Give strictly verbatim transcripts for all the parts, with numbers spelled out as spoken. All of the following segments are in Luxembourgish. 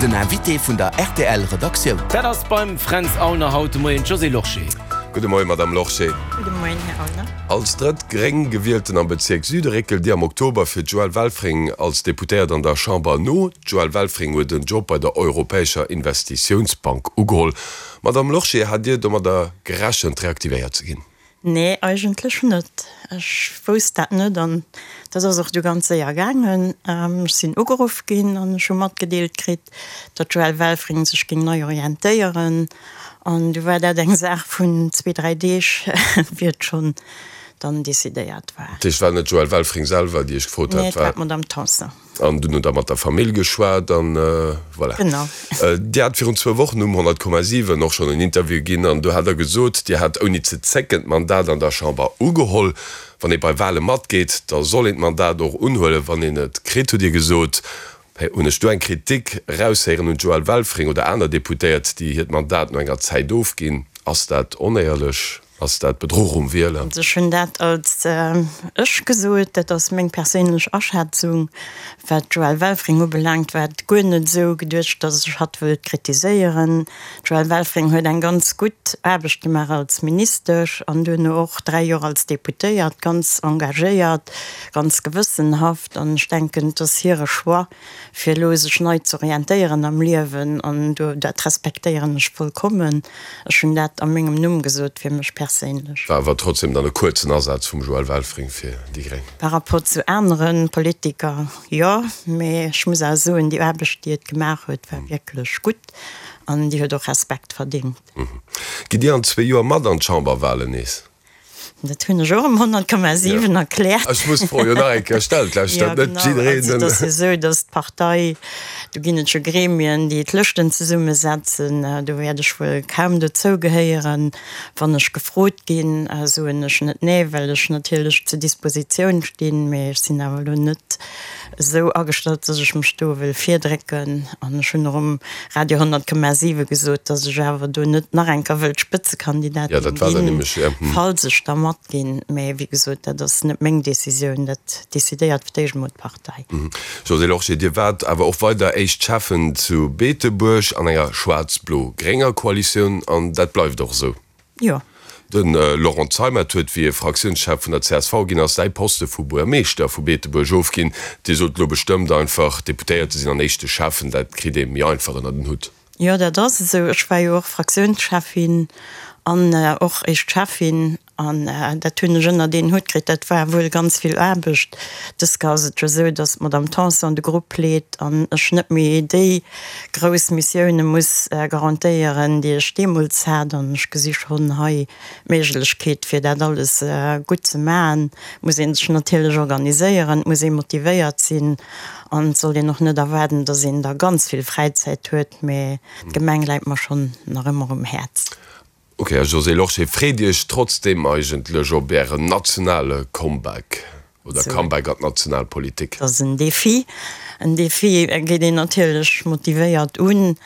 Den Invité vun der rtl Redaktioun. Dat ass beim Fränz Aulner haut de Moien d'Josée Lorsché. Gudde Moien, Madame Lorsché. Gudde Moien, Här Aulner. Als drëtt gréng Gewielten am Bezierk Süde réckelt Dir am Oktober fir d'Joëlle Welfring als Deputéiert an der Chamber no. D'Joëlle Welfring huet en Job bei der Europäescher Investitiounsbank ugeholl. Madame Lorsché, hat Dir domadder gerechent, reaktivéiert ze ginn? Nee, eigentlech net. Ech wousst dat net an dat ass och du ganz séier gaangen. Ech sinn ugeruff ginn an ech hu matgedeelt kritt, datt d'Joëlle Welfring sech géing nei orientéieren. An du war dat eng Saach vun zwee, dräi Deeg, wéi et schonn dann decidéiert war. Dat heescht, et war net d'Joëlle Welfring selwer, déi Iech gefrot hat? Nee, et war d'Madame Tanson. An dunn hutt Der mat der Famill geschwat an voilà. Genau. Dir hat virun zwou Wochen um honnert Komma siwen och schonn en Interview ginn an do hat Der gesot, Dir hätt ouni ze zécken d'Mandat an der Chamber ugeholl. Wann ee bei Wale matgeet, da soll een d'Mandat och unhuelen, wann een et kritt, hutt Dir gesot. Hunn ech do eng Kritik eraushéieren un d'Joëlle Welfring oder aner Deputéiert, déi hiert Mandat no enger Zäit ofginn? Ass dat onéierlech? Ass dat Bedruch um Wieler? Also ech hunn dat als ech gesot, dat ass meng perséinlech Aschätzung. Wat d'Joëlle Welfring ubelaangt, war et guer net esou geduecht, datt ech hatt wëllt kritiséieren. D'Joëlle Welfring huet eng ganz gutt Aarbecht gemaach als Ministesch an duerno och dräi Joer als Deputéiert, ganz engagéiert, ganz gewëssenhaft. An ech denken, et ass hire Choix, fir elo sech nei z'orientéieren am Liewen an do, dat respektéieren ech vollkommen. Ech hunn dat a mengem Numm gesot, fir mech perséinlech. War awer trotzdem dann e kuerzen Asaz vum Joël Welfring fir déi gréng. Par rapport zu anere Politiker, jo. Mee ech muss awer soen, déi Aarbecht, déi et gemaach huet, war wierklech gutt an déi huet och Respekt verdéngt. Gitt Dir an zwee Joer mat an d'Chamberwahlen nees? Dat hunn ech och um honnert Komma siwen erkläert. Ech muss d'Fro jo nach eng Kéier stellen, vläicht Jo, huet net genau. jiddereen Also et en. ass jo esou, datt d'Partei, do ginn et jo Gremien, déi d'Lëschten zesummesetzen. Do wäert ech wuel kaum dozou gehéieren. Wann ech gefrot ginn, soen ech net nee, well ech natierlech zur Dispositioun stinn. Mee ech sinn awer elo net esou agestallt, datt ech mech do wëll virdrécken. An ech hunn och um Radio honnert Komma siwe gesot, datt ech awer do net nach eng Kéier wëllt Ja, Spëtzekandidatin dat war dann ginn, nämlech, ja. falls ech da matginn. Mä wéi gesot, dat ass net meng Decisioun, dat decidéiert fir d'éischt emol d'Partei. Josée Lorsché, Dir waart awer och weider éischt Schäffen zu Beetebuerg an enger schwaarz-blo-grénger Koalitioun an dat bleift och esou. Jo. De Laurent Zeimet huet, wéi e Fraktiounschef vun der csv ginn ass, säi Poste vu Buergermeeschter vu Beetebuerg ofginn. Dir sot elo bestëmmt einfach, Deputéierte sinn an éischte Schäffen, dat kritt ee méi einfach ënner den Hutt. Jo, dat ass esou. Ech war jo och Fraktiounscheffin an och éischt Schäffin an dat hunn ech ënnert een Hutt kritt. Dat war wuel ganz vill Aarbecht. Dës Kéier ass et jo esou, datt d'Madame Tanson de Grupp leet an ech net méi déi grouss Missioune muss garantéieren, déi ech deemools hat. An ech gesi schonn hei d'Méiglechkeet, fir dat alles gutt ze maachen. Et muss ee sech natierlech organiséieren, et muss ee motivéiert sinn an et sollt een och net erwaarden, datt een da ganz vill Fräizäit huet. Mä d'Gemeng läit mer schonn nach ëmmer um Häerz. Ok, Här Josée Lorsché, freet Dir Iech trotzdeem eigentlech op Ären nationale Comeback oder Comeback an d'national Politik? Et ass en Defi. En Defi geet een natierlech motivéiert un.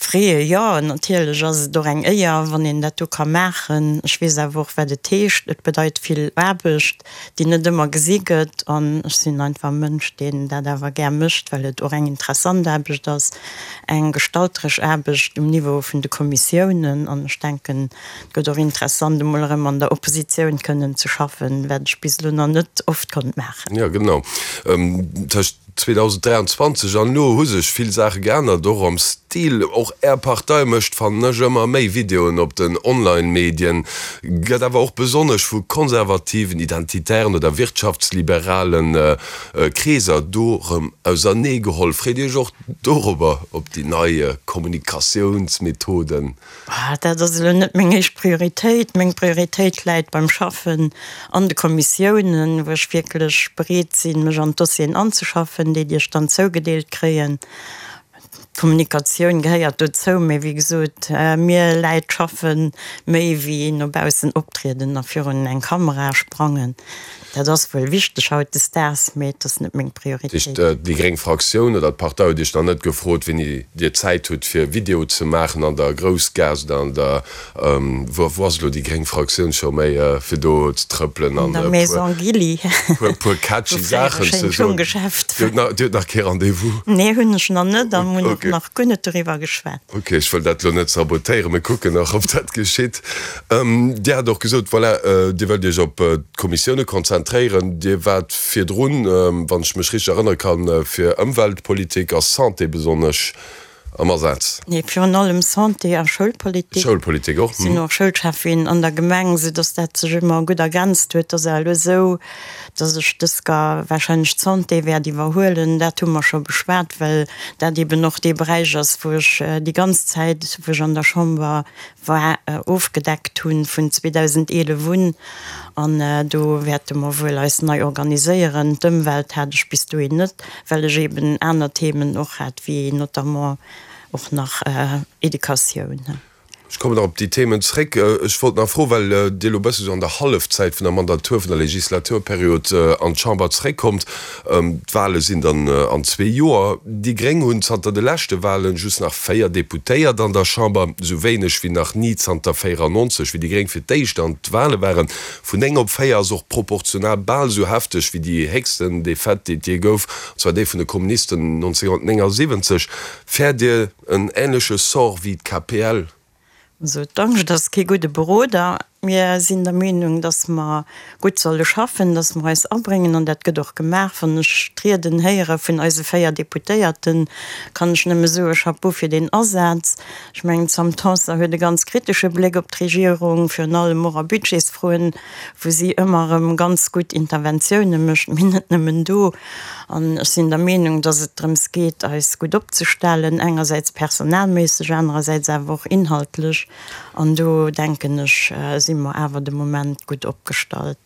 Freeë jo, natierlech ass et och eng Éier, wann een dat do ka maachen. Ech weess awer och, wat et heescht. Et bedeit vill Aarbecht, déi net ëmmer gesi gëtt. An ech sinn einfach e Mënsch, deen dat awer gär mécht, well et och eng interessant Aarbecht ass, eng gestalteresch Aarbecht um Niveau vun de Kommissiounen. An ech denken, et gëtt och interessant, emol erëm an der Oppositioun kënnen ze schaffen, wat ech bis elo nach net oft konnt maachen. Jo, genau. Tëscht zweedausenddräianzwanzeg an elo hu sech vill Saache geännert, och am Stil. Och Är Partei mécht, fannen ech, ëmmer méi Videoen op den Online-Medien, gëtt awer och besonnesch vu konservativen, identitären oder wirtschaftsliberale Kreeser do rëm auserneegeholl. Freet Dir Iech och dorobber, op déi nei Kommunikatiounsmethoden? Dat ass elo net meng éischt Prioritéit. Meng Prioritéit läit beim Schaffen an de Kommissiounen, wou ech wierklech bereet sinn, mech an d'Dossieren anzeschaffen, déi déi ech dann zougedeelt kréien. D'Kommunikatioun gehéiert dozou, mee wéi gesot, mir läit schaffe méi wéi no baussen optrieden a virun eng Kamera sprangen. Dat ass wuel wichteg hautdesdaags, mee et ass net meng Prioritéit. Déi gréng Fraktioun oder d'Partei huet Iech nach net gefrot, wéini Dir Zäit hutt fir Video ze maachen an der Groussgaass oder an der, wou ass elo déi gréng Fraktioun scho méi, fir do ze trëppelen an e puer catchy Saachen ze soen? Dir hutt nach kee Rendez-vous? Nee, hunn ech nach net a mir hunn och nach guer net doriwwer geschwat. Ok, ech wëll dat elo net sabotéieren, mir kucken nach, ob dat geschitt. Dir hat och gesot, voilà, Dir wëllt Iech op d'Kommissioune konzentréieren. Dir waart virdrun, wann ech mech richteg erënnere kann, fir Ëmweltpolitik a Santé besonnesch am Asaz. Nee, virun allem Santé a Schoulpolitik. Schoulpolitik och, mhm. Sinn och Schoulschäffin an der Gemeng, sou dass dat sech ëmmer gutt ergänzt huet. Et ass elo esou, dass ech dës Ga warscheinlech d'Santé wäert iwwerhuelen. Dat hu mer scho beschwat, well dat eben och dee Beräich ass, wou ech déi ganz Zäit, wou ech an der Chamber war, ofgedeckt hunn, vun zweedausendeelef un. An do wäerte mer wuel eis nei organiséieren. D'Ëmwelt hat ech bis dohin net, well ech eben aner Themen och hat, wéi notamment och nach Educatioun. Ech kommen nach op déi Themen zréck. Ech wollt nach froen, well Dir elo e bësse sou an der Hallefzäit vun der Mandatur, vun der Legislaturperiod an d'Chamber zréckkommt. D'Wahle sinn dann an zwee Joer. Déi Gréng hunn zanter de leschte Wahlen just nach véier Deputéiert an der Chamber, esou wéineg wéi nach ni zanter véierannonzeg, wéi déi Gréng fir d'éischt an d'Wahle waren. Vun néng op véier ass och proportional bal esou hefteg wéi déi héchsten Defaite, déi et jee gouf, an zwar déi vun de Kommunisten nonzénhunnertnéngasiwwenzeg. Fäert Dir en änleche Sort wéi d'K P L? Also d'Angscht ass kee gudde Beroder. Mir sinn der Meenung, datt mer gutt solle schaffen, datt mer eis abréngen, an dat gëtt och gemaach. Wann ech d'Rieden héiere vun eise véier Deputéierten, kann ech nëmme soe Chapeau fir deen Asaz. Ech mengen, d'Sam Tanson huet e ganz kritesche Bléck op d'Regierung, virun allem och a Budgetsfroen, wou si ëmmer erëm ganz gutt Interventioune mécht, mee net nëmmen do. An ech sinn der Meenung, datt et drëms geet, eis gutt opzestellen, engersäits personalméisseg, anerersäits awer och inhaltlech. An do, denken ech, si mer awer de Moment gutt opgestallt.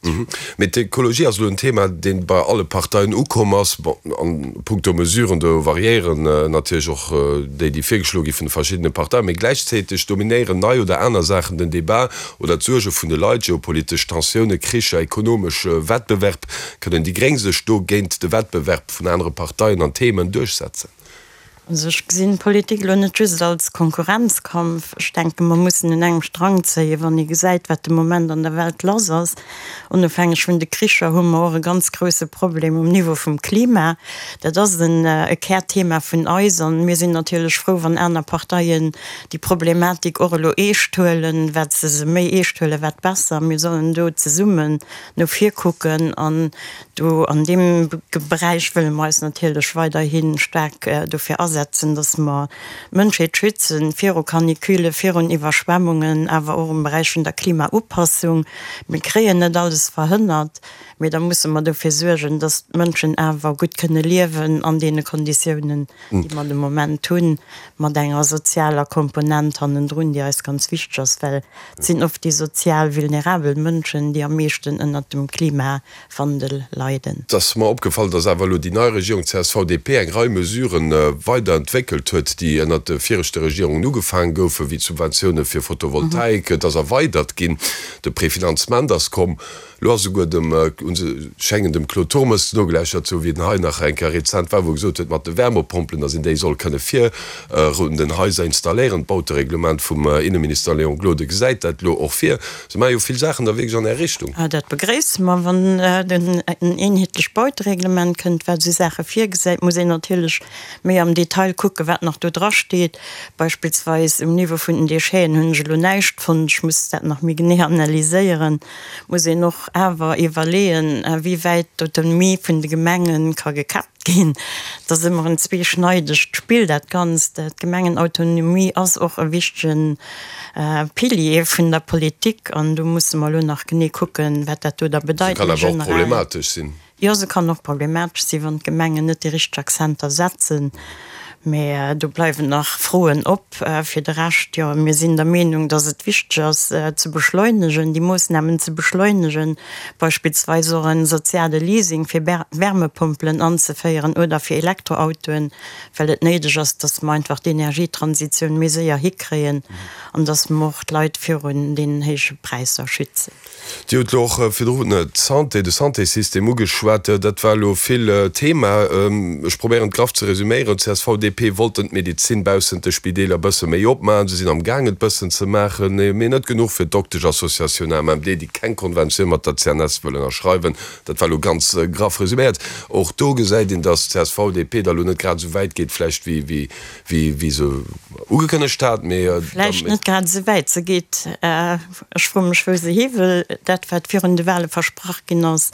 Mee d'Ekologie ass elo en Thema, dee bei alle Parteien ukomm ass. Bon, a puncto Mesuren, do variéieren natierlech och déi, déi virgeschloe gi vun de verschiddene Parteien. Mee gläichzäiteg dominéieren nei oder aner Saachen den Debat oder d'Suerge vun de Leit, geopolitesch Tensiounen, Kricher, ekonomesch Wettbewerb. Kënnen déi Gréng sech do géint de Wettbewerb vun anere Parteien an Themen duerchsetzen? Also ech gesinn d'Politik elo net just als Konkurrenzkampf. Ech denken, mer mussen un engem Strang zéien, wann ee gesäit, wat de Moment an der Welt lass ass. Onofhängeg vun de Kricher hu mer och e ganz grouse Problem um Niveau vum Klima. Dat ass en e Kärthema vun eis an mir sinn natierlech frou, wann aner Parteien déi Problematik och elo eescht huelen. Wat se se méi eescht huelen, wat besser. Mir sollen do zesummen no vir kucken an do an deem Beräich wëlle mer eis natierlech weiderhi staark dofir asetzen, dass mer d'Mënschheet schützen viru Canicule, virun Iwwerschwemmungen, awer och um Beräich vun der Klimaupassung. Mir kréien net alles verhënnert, mee da musse mer dofir suergen, dass d'Mënschen awer gutt kënne liewen an deene Konditiounen, déi mer de Moment hunn, mat enger sozialer Komponent hannendrun, déi eis ganz wichteg ass, well et sinn oft déi sozial vulnerabel Mënschen, déi am meeschten ënnert dem Klimawandel leiden. Et ass mer opgefall, dass awer elo déi nei Regierung C S V D P eng Rei Mesuren weiderentwéckelt huet, déi ënnert de viregte Regierungen ugefaange goufen, wéi d'Subventioune fir Photovoltaik. Et ass erweidert ginn, de Prefinanzement ass komm. Elo ass esouguer dem, hu se schéngen dem Claude Turmes nogelauschtert ze hu wéi en hei nach eng Kéier rezent war, wou e gesot huet, mat de Wärmepompelen, datt een déi soll kënne virun den Haiser installéieren. D'Bautereglement vum Inneminister Léon Gloden gesäit dat elo och vir. Se maache jo vill Saachen da wierklech an Är Richtung. Dat begréisse mer. Wann en eenheetlecht Bautereglement kënnt, wat esou Saache virgesäit, muss een natierlech méi am Detail kucken, wat nach do drasteet. Beispillsweis um Niveau vun den Décheten hunn ech elo näischt fonnt. Ech muss dat nach méi genee analyséieren. Muss een och awer iwwerleeën, wéi wäit d'Autonomie vun de Gemenge ka gekäppt ginn. Et ass ëmmer en zweeschneidegt Spill, dat Ganzt. D'Gemengenautonomie ass och e wichtege Pilier vun der Politik an do musse mer elo nach genee kucken, wat dat do da Se bedeit kann méi awer och generell. problematesch sinn. Jo, se kann och problematesch sinn, wann d'Gemengen net déi richteg Akzenter setzen. Mä do bleiwen nach Froen op. Fir de Rescht, jo, mir sinn der Meenung, dass et wichteg ass ze beschleunegen, déi Moossnamen ze beschleunegen, beispillsweis och e soziale Leasing fir Wärmepompelen anzeféieren oder fir Elektroautoen, well et néideg ass, dass mer einfach d'Energietransitioun méi séier hikréien an dass mer och d'Leit virun deenen héije Präisser schützen. Dir hutt elo och virdrun d'Santé, de Santéssystem ugeschwat. Dat war elo vill Thema. Ech probéieren et graff ze resüméieren, C S V, D P D P wollten d'Medezin baussent de Spideeler bësse méi opmaachen. Se sinn am Gaang et bëssen ze maachen, mee net genuch fir d'Doktesch-Associatioun A M M D, déi keng Konventioun mat der C N S wëll ënnerschreiwen. Dat war elo ganz graff resuméiert. Och do gesäit een, datt C S V D P da lo net grad esou wäit geet vläicht wéi wéi se ugekënnegt hat, mee. Vläicht net grad esou wäit se geet. Ech froe mech wou se hi wëll. Dat wat virun de Wahle versprach ginn ass,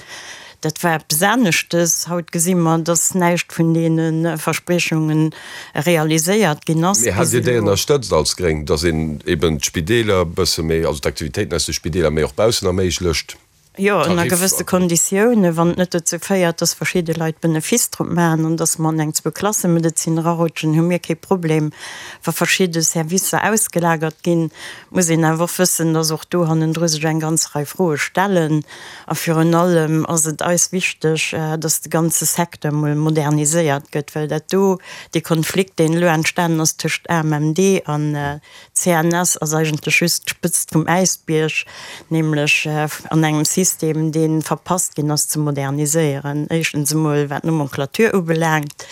dat war eppes aneschtes. Haut gesi mer, dass näischt vun deene Verspriechunge realiséiert ginn ass Mee bis hätt Dir déi elo. ënnerstëtzt als Gréng, dass een eben d'Spideeler e bësse méi, also d'Aktivitéiten aus de Spideeler méi och baussen erméiglecht, Jo, ënner Tarif? gewësse Konditiounen, wann et net dozou féiert, dass verschidde Leit Benefice drop maachen an dass mer an eng Zwou-Klasse-Medezin erarutschen, hu mir kee Problem. Wa verschidde Servicer ausgelagert ginn, muss een awer och wëssen, dass och do hannendru sech eng ganz Rei Froe stellen. A virun allem ass et eis wichteg, dass de ganze Secteur mol moderniséiert gëtt, well dat do, dee Konflikt, deen elo entstanen ass tëscht A M M D an C N S, ass eigentlech just d'Spëtzt vum Äisbierg, nämlech an engem System, dee verpasst ginn ass ze moderniséieren. Éischtens emol wat d'Nomenclature ubelaangt,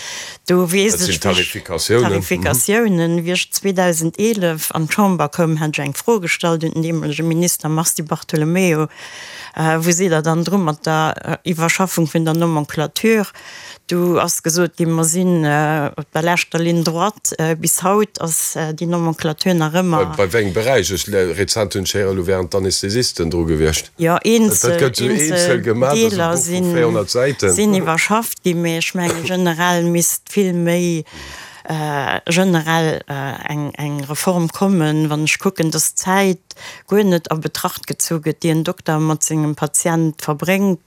do Dat weess sinn ech, wéi ech Tarifikatiounen. Tarifikatiounen, wéi ech zweedausendeenef an d'Chamber koum, hat ech eng Fro gestallt un den deemolege Minister Mars Di Bartolomeo, Wou sidd Der dann dru mat der Iwwerschaffung vun der Nomenclature? Du ass gesot ginn, mer sinn op der leschter Ligne droite. Bis haut ass déi Nomenclature nach ëmmer. Bei wéi engem Beräich? Ech, rezent hunn ech héieren, elo wären d'Anästhesisten dru gewiescht. Jo, Dat eenzel, gëtt esou eenzel eenzel gemaach, dat ass e Deeler Buch vu véierhonnert Säiten. sinn iwwerschafft ginn, mee ech menge generell misst vill méi generell eng eng Reform kommen. Wann ech kucken, dass d'Zäit guer net a Betracht gezu gëtt, déi en Dokter mat sengem Patient verbréngt,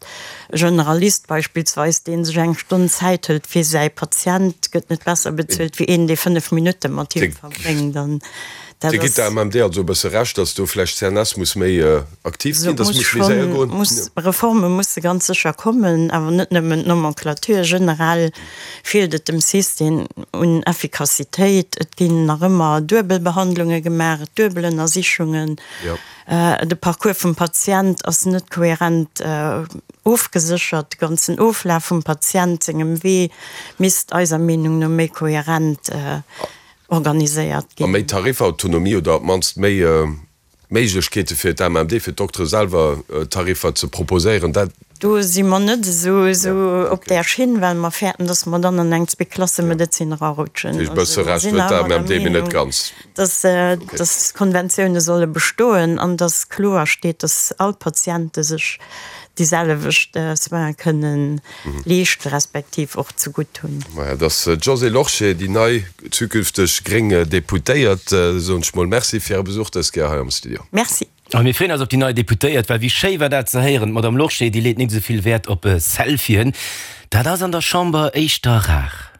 e Generalist beispillsweis, dee sech eng Stonn Zäit hëlt fir säi Patient, gëtt net besser bezuelt wéi een, dee fënnef Minutte mat him verbréngt. An dat Dir gitt ass. der A M M D also e bësse Recht, dass do vläicht d'C N S muss méi aktiv Se ginn, dass muss muss méi séier schonn, goen? muss, Reforme musse ganz sécher kommen, awer net nëmmen d'Nomenclature. Generell feelt et dem System un Effikassitéit. Et ginn nach ëmmer Duebelbehandlunge gemaach, Duebelënnersichungen. Jo. De Parcours vum Patient ass net kohärent ofgeséchert. De ganzen Oflaf vum Patient sengem Wee misst eiser Meenung no méi kohärent organiséiert A méi ginn. Tarifautonomie oder op d'mannst méi Méiglechkeete fir d'A M M D, fir d'Doktere selwer Tariffer ze proposéieren, dat. Do si mer net esou Ja, op okay. där Schinn, well mer fäerten, dass mer dann an eng Ja. Zweeklassemedezin erarutschen. Dat heescht, e Also bësse mer Recht sinn huet awer der d'A M M D, mee net Meenung, ganz. dass, Okay. dass d'Konventioune solle bestoen an dass kloer steet, dass all Patiente sech déi selwecht Soine kënnen leeschten, respektiv och zegutt hunn. Maja, dat ass d'Josée Lorsché, déi nei zukünfteg gréng Deputéiert. Soen ech mol Merci fir Äre Besuch dës Kéier hei am Studio. Merci. A mir freeën eis op déi nei Deputéiert, well wéi schéi war dat ze héieren, d'Madame Lorsché, déi leet net esou vill Wäert op Selfien. Dat ass an der Chamber éischter rar.